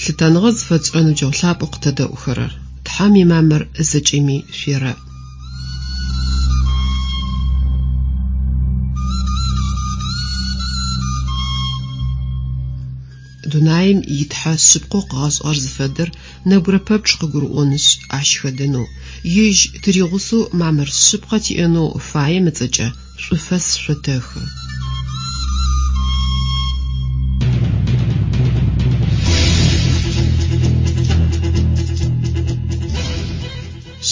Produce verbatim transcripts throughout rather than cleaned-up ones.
Лъытэныгъэ зыфэтшӏырэ ныбджэгъу лъапӏэу къытэдэӏухэрэр! Тхьэм имамыр зэкӏэми шъуерэӏ. Дунаим итхьэ шъыпкъэу къыгъэшӏыгъэр зыфэдэр нэбгырэ пэпчъ къыгурыӏонышъ, ащ хэдэнэу, ежь тыригъусэу мамыр шъыпкъэ тиӏэнэу фаем ыцӏэкӏэ шӏуфэс шъотэхы.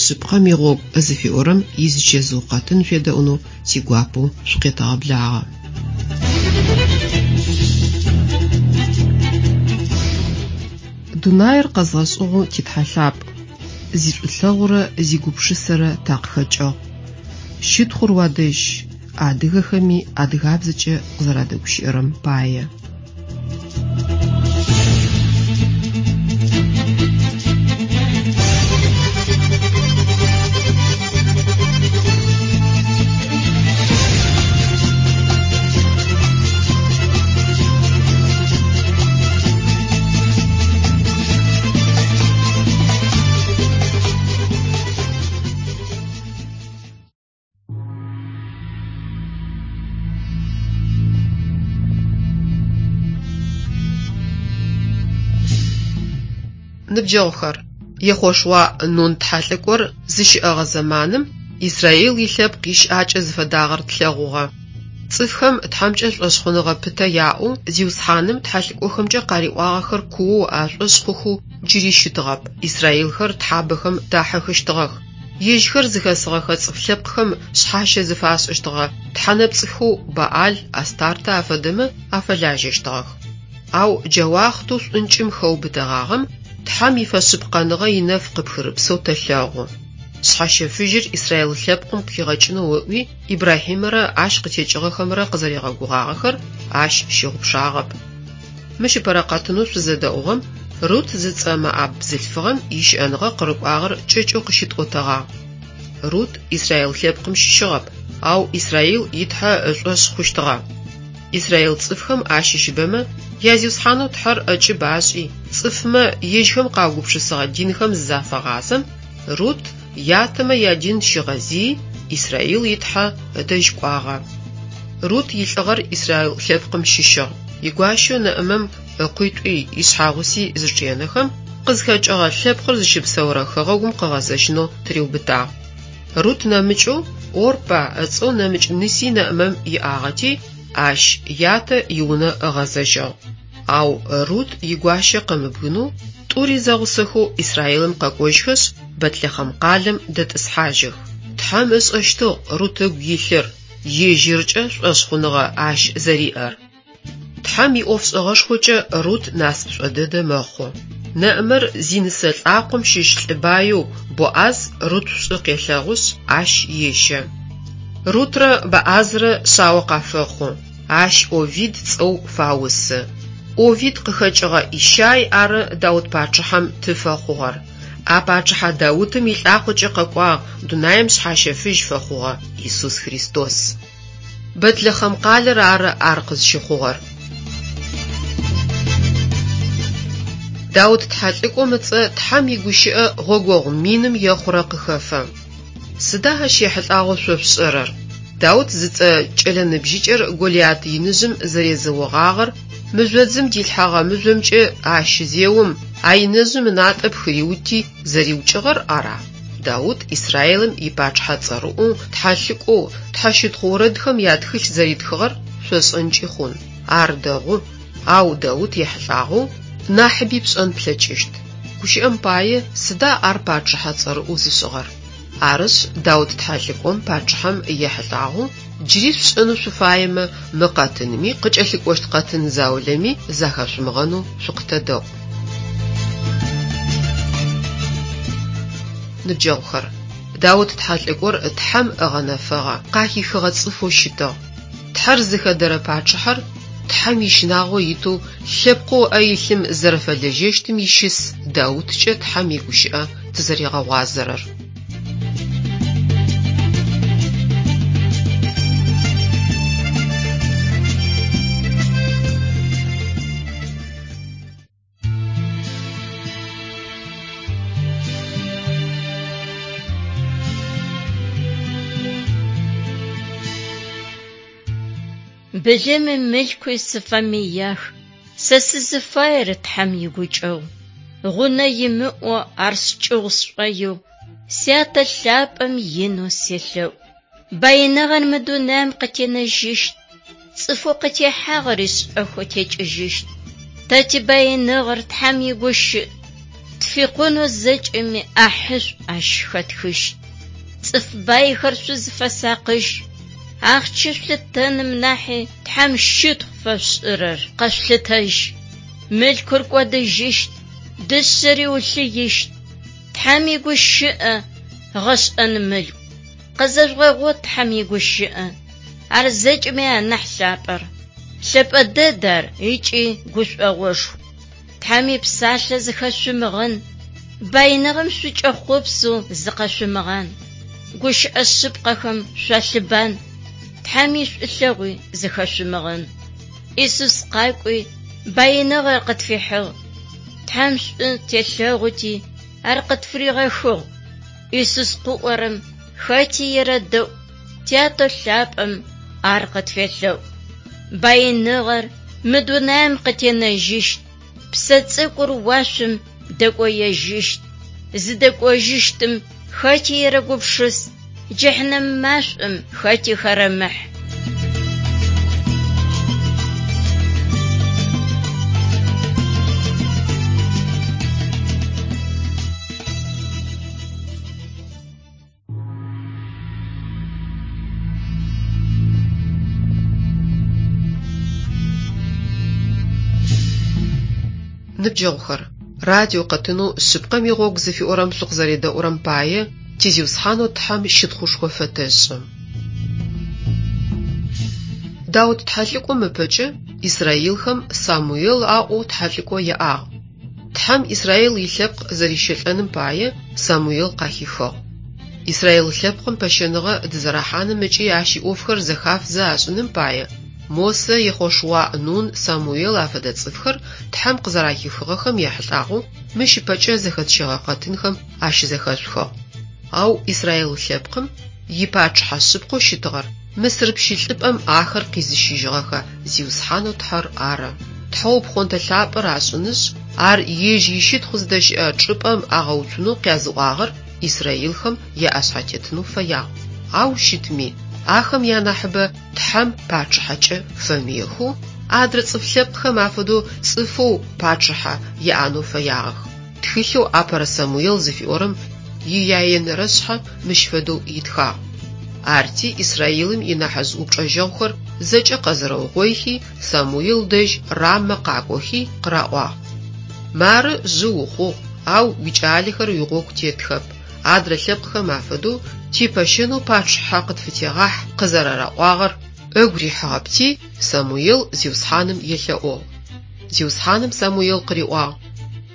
Шъыпкъэм игъогу зыфиӏорэм изычэзыу къэтын шъуедэӏунэу тигуапэу шъукъетэгъэблагъэ. Дунаир къэзгъэшӏыгъэу титхьэ лъапӏ, зишӏулъэгъурэ зигупшысэрэ такъыхэкӏыгъ. Щытхъур уадэжь, адыгэхэми адыгабзэкӏэ къызэрадэгущыӏэрэм пае. Ныбджэгъухэр, Ехъошуа Нун тхьэлӏыкӏор зыщыӏэгъэ зэманым Израил илъэпкъ ищыӏакӏэ зыфэдагъэр тлъэгъугъэ. Цӏыфхэм Тхьэмкӏэ шӏошъхъуныгъэ пытэ яӏэу Зиусхьаным тхьэлӏыкӏохэмкӏэ къариӏуагъэхэр куоу ашӏошъ хъухэу джыри щытыгъэп. Израилхэр тхьабэхэм дахьыхыщтыгъэх. Ежьхэр зыхэсыгъэхэ цӏыф лъэпкъхэм шъхьащэ зыфашӏыщтыгъэ тхьэнэпцӏыхэу Баал, Астартэ афэдэмэ афэлажьэщтыгъэх. Ау джа уахътэу шӏункӏым хэубытэгъагъэм Тхьэм ифэшъыпкъэныгъэ инэф къыпхырыпсэу тэлъэгъу. Шъхьащэфыжьыр Израил лъэпкъым къыхигъэкӏынэу ыӏуи Ибрахьимэрэ ащ къытекӏыгъэхэмрэ къызэригъэгугъагъэхэр ащ щыгъупшагъэп. Мыщ ыпэрэ къэтынэу шъузэдэӏугъэм Рут зыцӏэ Моаб бзылъфыгъэм ищыӏэныгъэ къырыкӏуагъэр кӏэкӏэу къыщытӏотэгъагъ. Рут Израил лъэпкъым щыщыгъэп, ау Израил итхьэ ышӏошъ хъущтыгъэ. Израил цӏыфхэм ащыщыбэмэ язиусхьанэу Тхьэр ӏэкӏыб ашӏи, цӏыфмэ ежьхэм къаугупшысыгъэ динхэм зызафагъазэм, Рут ятэмэ ядин щигъэзыий Израил итхьэ ыдэжь кӏуагъэ. Рут илӏыгъэр Израил лъэпкъым щыщыгъ. Игуащэу Нэӏымэм ыкъуитӏуи ишъхьагъуси зычӏенэхэм, къызхэкӏыгъэ лъэпкъыр зыщыпсэурэ хэгъэгум къыгъэзэжьынэу тыриубытагъ. Рут нэмыкӏэу Орпа ыцӏэу нэмыкӏ ныси Нэӏымэм иӏагъэти, ащ ятэ иунэ ыгъэзэжьыгъ. Ау Рут игуащэ къымыбгынэу тӏури зэгъусэхэу Израилым къэкӏожьхэшъ, Бэтлэхъэм къалэм дэтӏысхьажьых. Тхьэм ышӏэщтыгъ Рут ыгу илъыр, ежьыркӏэ шӏошъхъуныгъэ ащ зэриӏэр. Тхьэм иӏофшӏэгъэшхокӏэ Рут насыпышӏо дэдэ мэхъу. Нэӏымэр зинысэ лӏакъом щыщ лӏы баеу Боӏаз Рут шӏу къелъэгъушъ, ащ ещэ. Рутрэ Боӏазрэ шъао къафэхъу, ащ Овид цӏэу фаусы. Овид къыхэкӏыгъэ Ищай ары Даут пачъыхьэм ты фэхъугъэр. А пачъыхьэ Даутым илӏакъокӏэ къэкӏуагъ дунаим шъхьащэфыжь фэхъугъэ Исус Христос. Бэтлэхъэм къалэр ары ар къызщыхъугъэр. Даут тхьэлӏыкӏом ыцӏэ Тхьэм игущыӏэ гъогогъу миным ехъурэ къыхэфэ. Сыда ащ ехьылӏагъэу шъо шъушӏэрэр? Даут зыцӏэ кӏэлэ ныбжьыкӏэр Голиат иныжъым зэрезэогъагъэр, мыжъодзым дилъхьэгъэ мыжъомкӏэ ащ зеом, а иныжъым ынатӏэ пхыриути зэриукӏыгъэр ара? Даут Израилым ипачъыхьэ цӏэрыӏоу, тхьэлӏыкӏоу, тхьэщытхъу орэдхэм ятхылъ зэритхыгъэр шъошӏэнкӏи хъун. Ар дэгъу, ау Даут ехьылӏагъэу нахьыби пшӏэн плъэкӏыщт. Гущыӏэм пае сыда ар пачъыхьэ цӏэрыӏоу зышӏыгъэр? Арышъ, Даут тхьэлӏыкӏом пачъыхьэм ехьылӏагъэу джыри шъушӏэнэу шъуфаемэ, мы къэтынми къыкӏэлъыкӏощт къэтын заулэми захэшъумыгъэнэу шъукъытэдэӏу. Ныбджэгъухэр, Даут тхьэлӏыкӏор Тхьэм ыгъэнэфэгъэ, къахихыгъэ цӏыфэу щытыгъ. Тхьэр зыхэдэрэ пачъыхьэр Тхьэм ищынагъо итэу лъэпкъэу ыӏэ илъым зэрэфэлэжьэщтым ищыс Дауткӏэ Тхьэм игущыӏэ тызэригъэгъуазэрэр. Былыми мылъкуи сыфэмыях, сэ сызыфаер Тхьэм игукӏэгъу. Гъунэ имыӏэу ар скӏыгъу сшӏоигъу, Сятэ лъапӏэм инэу селъэӏу. Баиныгъэр мы дунаим къытенэжьыщт, цӏыфэу къытехьагъэри шӏэхэу текӏыжьыщт. Тэ тибаиныгъэр Тхьэм игущыӏ, тфикъунэу зэкӏэми ӏахьышӏу ащ хэтхыщт. Цӏыф байхэр шъузфэсакъыжь, ахъщэ шъулъытэным нахьи Тхьэм щытхъу фэшъушӏырэр къэшъулъытэжь. Мылъкур кӏодыжьыщт, дышъэри улъыищт. Тхьэм игущыӏэ гъэшӏэн мылъку. Къызэжъугъэгъот Тхьэм игущыӏэ. Ар зэкӏэми анахь лъапӏэр. Лъэпӏэ дэд ар ыкӏи гушӏогъошху. Тхьэм ипсалъэ зыхэшъумыгъэн, баиныгъэм шъукӏэхъопсэу зыкъэшъумыгъан. Гущыӏэ шъыпкъэхэм шъуалъыбан, Тхьэм ишӏулъэгъуи зыхэшъумыгъэн. Исус къакӏуи баиныгъэр къытфихьыгъ. Тхьэм шӏу телъэгъути ар къытфыригъэхыгъ. Исус къыӏорэм хэти ерэдэӏу, Тятэ лъапӏэм ар къытфелъэӏу. Баиныгъэр мы дунаим къытенэжьыщт, псэ цӏыкӏур уашъом дэкӏоежьыщт. Зыдэкӏожьыщтым хэти ерэгупшыс, джэхьнэм машӏом хэти хэрэмыхь. Ныбджэгъухэр, радио къэтынэу шъыпкъэм игъогу зыфиӏорэм шъукъызэредэӏурэм пае ти Зиусхьанэу Тхьэм щытхъушхо фэтэшӏы. Даут тхьэлӏыкӏом ыпэкӏэ Исраилхэм Самуел аӏоу тхьэлӏыкӏо яӏагъ. Тхьэм Исраил илъэпкъ зэрищэлӏэным пае Самуел къахихыгъ. Исраил лъэпкъым пэщэныгъэ дызэрахьаным ыкӏи ащ иӏофхэр зэхафзэ ашӏыным пае Мосэ, Ехъошуа, Нун, Самуел афэдэ цӏыфхэр Тхьэм къызэрахихыгъэхэм ехьылӏагъэу мыщ ыпэкӏэ зэхэтщэгъэ къэтынхэм ащызэхэшъухыгъ. Ау Исраил лъэпкъым ипачъыхьэ шъыпкъэу щытыгъэр Мысыр пщылӏыпӏэм ахэр къизыщыжьыгъэхэ Зиусхьанэу Тхьэр ары. Тхьэу пхъонтэ лъапӏэр ашӏынышъ, ар ежь ищытхъу зыдэщыӏэ чӏыпӏэм агъэуцунэу къязыӏуагъэр Исраилхэм яӏэшъхьэтетынэу фэягъ. Ау щытми, ахэм янахьыбэ Тхьэм пачъыхьэкӏэ фэмыехэу, адрэ цӏыф лъэпкъхэм афэдэу цӏыфэу пачъыхьэ яӏэнэу фэягъэх. Тхылъэу Апэрэ Самуел зыфиӏорэм ияенэрэ шъхьэ мыщ фэдэу итхагъ. Арти Исраилым инахьыжъ упчӏэжьэгъухэр зэкӏэ къэзэрэугъоихи, Самуел дэжь Рамэ къакӏохи къыраӏуагъ: Мары жъы ухъугъ, ау уикӏалэхэр уигъогу тетхэп. Адрэ лъэпкъхэм афэдэу типэщэнэу пачъыхьэ къытфытегъахь къызэрараӏуагъэр ыгу рихьыгъэпти, Самуел Зиусхьаным елъэӏугъ. Зиусхьаным Самуел къыриӏуагъ: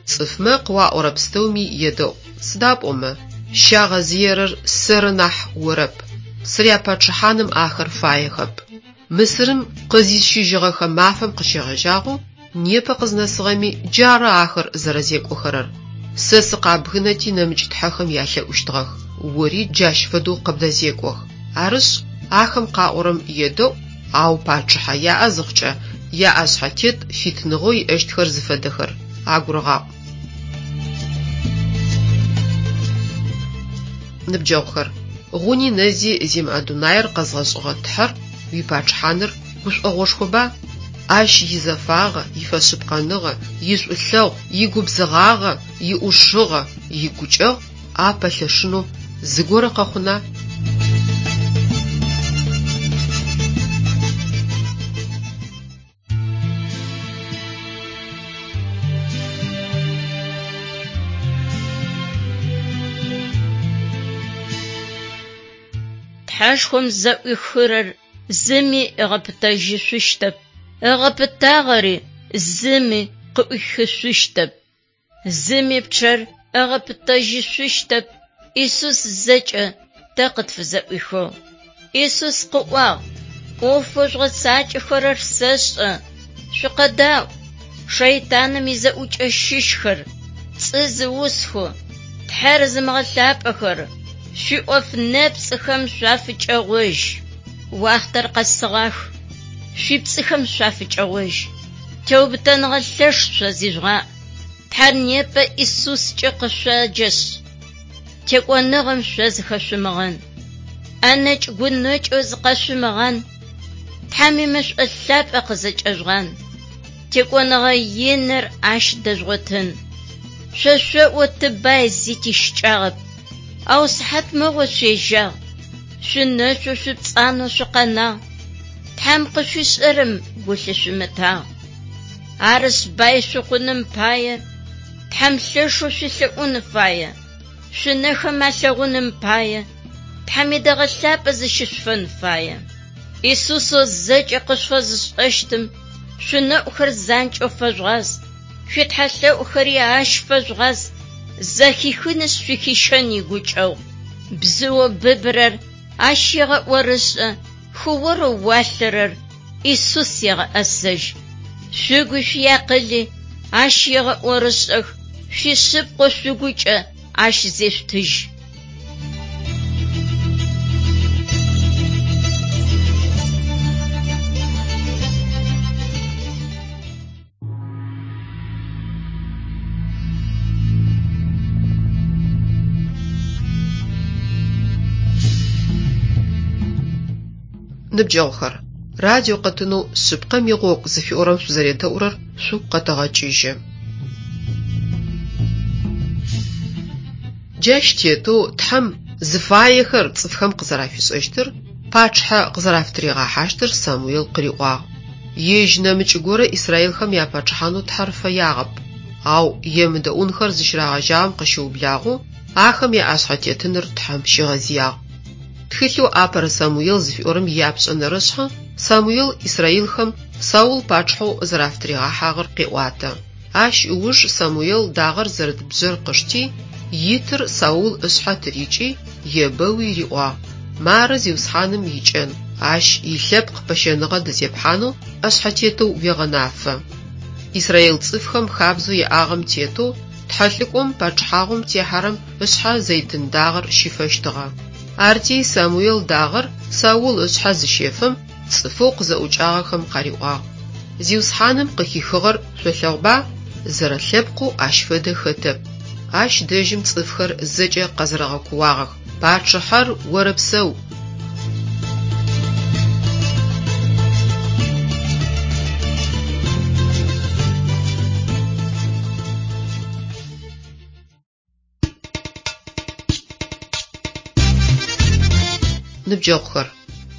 Цӏыфмэ къыуаӏорэ пстэуми едэӏу, сыда пӏомэ щагъэзыерэр сэры нахь орэп. Сыряпачъыхьаным ахэр фаехэп. Мысырым къызисщыжьыгъэхэ мафэм къыщегъэжьагъэу непэ къызнэсыгъэми джары ахэр зэрэзекӏохэрэр. Сэ сыкъабгынэти нэмыкӏ тхьэхэм ялъэӏущтыгъэх, ори джащ фэдэу къыбдэзекӏох. Арышъ, ахэм къаӏорэм едэӏу, ау пачъыхьэ яӏэ зыхъукӏэ яӏэшъхьэтет фитыныгъэу иӏэщтхэр зыфэдэхэр агурыгъаӏу. Ныбджэгъухэр, гъуни нэзи зимыӏэ дунаир къэзгъэшӏыгъэ Тхьэр уипачъыхьаныр гушӏогъошхоба? Ащ изэфагъэ, ифэшъыпкъэныгъэ, ишӏулъэгъу, игубзыгъагъэ, иӏушыгъэ, игукӏэгъу апэлъэшынэу зыгорэ къэхъуна? Тхьэшхом зэӏуихырэр зыми ыгъэпытэжьышъущтэп, ыгъэпытагъэри зыми къыӏуихышъущтэп. Зыми пчъэр ыгъэпытэжьышъущтэп, Исус зэкӏэ тэ къытфызэӏуихыгъ. Исус къыӏуагъ: ӏофэу жъугъэцакӏэхэрэр сэшӏэ, шъукъэдаӏу. Шэйтаным изэӏукӏэ щыщхэр, пцӏы зыусхэу, Тхьэр зымыгъэлъапӏэхэр, шъуиӏоф нэпцӏыхэм шъуафыкӏэгъожь. Уахътэр къэсыгъах. Шъуипцӏыхэм шъуафыкӏэгъожь. Теубытэныгъэ лъэш шъо зижъугъаӏ. Тхьэр непэ Исускӏэ къышъоджэшъ, текӏоныгъэм шъо зыхэшъумыгъэн. ӏэнэкӏ гунэкӏэу зыкъэшъумыгъан. Тхьэм имэшӏо лъапӏэ къызэкӏэжъугъан. Текӏоныгъэ иныр ащ дэжъугъотын. Шъо шъоӏо тыбай зи тищыкӏагъэп. Ау сыхьат мыгъо шъуежьагъ. Шъунэшъу шъупцӏанэу шъукъэнагъ. Тхьэм къышъуишӏэрэм гу лъышъумытагъ. Арышъ бай шъухъуным пае Тхьэм лъэшэу шъуелъэӏун фае. Шъунэхэм алъэгъуным пае Тхьэм идэгъэ лъапӏэ зыщышъуфэн фае. Исусэу зэкӏэ къышъуфэзышӏэщтым шъунэӏухэр занкӏэу фэжъугъаз. Шъуитхьэлъэӏухэри ащ фэжъугъаз. Зэхихынышъ шъухищэн игукӏэгъу. Бзыоу быбырэр ащ егъэӏорышӏэ, хыорэу уалъэрэр Исус егъэӏэсэжь. Шъугуи шъуиакъыли ащ егъэӏорышӏэх, шъуишъыпкъэу шъугукӏэ ащ зешъутыжь. Ныбджэгъухэр, радио къэтынэу «Шъыпкъэм игъогу» зыфиӏорэм шъузэредэӏурэр шъугу къэтэгъэкӏыжьы. Джащ тетэу Тхьэм зыфаехэр цӏыфхэм къызэрафишӏэщтыр, пачъыхьэ къызэрафытыригъэхьащтыр Самуел къыриӏуагъ. Ежь нэмыкӏ горэ израилхэм япачъыхьанэу Тхьэр фэягъэп, ау емыдэӏунхэр зыщырагъэжьагъэм къыщыублагъэу ахэм яӏэшъхьэтетыныр Тхьэм щигъэзыягъ. Тхылъэу «Апэрэ Самуел» зыфиӏорэм ияпшӏэнэрэ шъхьэ Самуел израилхэм Саул пачъыхьэу зэрэфытыригъэхьагъэр къеӏуатэ. Ащ ыуж Самуел дагъэр зэрыт бжъэр къышти, итыр Саул ышъхьэ тырикӏи, ебэуи риӏуагъ: «Мары Зиусхьаным икӏэн, ащ илъэпкъ пэщэныгъэ дызепхьанэу ӏэшъхьэтетэу уегъэнафэ». Израил цӏыфхэм хабзэу яӏагъэм тетэу тхьэлӏыкӏом пачъыхьагъум техьэрэм ышъхьэ зэйтын дагъэр щифэщтыгъэ. Арти Самуел дагъэр Саул ышъхьэ зыщефэм, цӏыфэу къызэӏукӏагъэхэм къариӏуагъ: «Зиусхьаным къыхихыгъэр шъолъэгъуба? Зэрэлъэпкъэу ащ фэдэ хэтэп». Ащ дэжьым цӏыфхэр зэкӏэ къэзэрэгъэкууагъэх: «Пачъыхьэр орэпсэу!» Ныбджэгъухэр,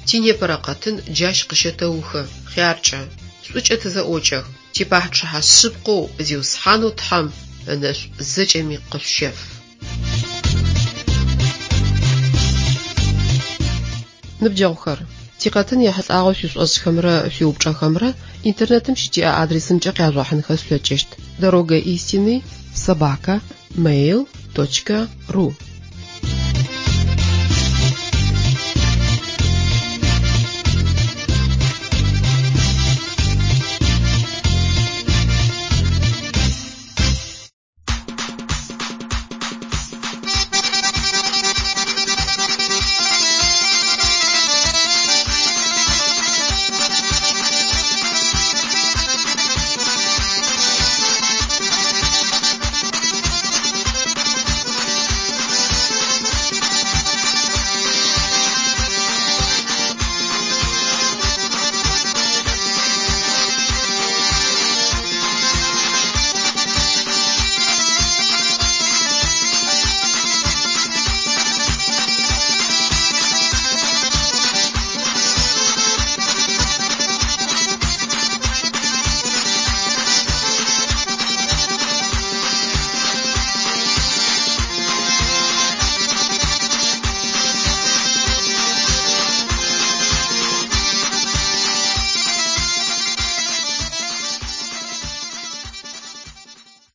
тинепэрэ къэтын джащ къыщэтэухы, хъяркӏэ, шӏукӏэ тызэӏокӏэх, типачъыхьэ шъыпкъэу Зиусхьанэу Тхьэм ынэшӏу зэкӏэми къышъущеф. Ныбджэгъухэр, тикъэтын ехьылӏагъэу шъуишӏошӏхэмрэ шъуиупчӏэхэмрэ интернетым щытиӏэ адресымкӏэ къяжъугъэхьынхэ шъулъэкӏыщт: дорога истины собака mail точка ру.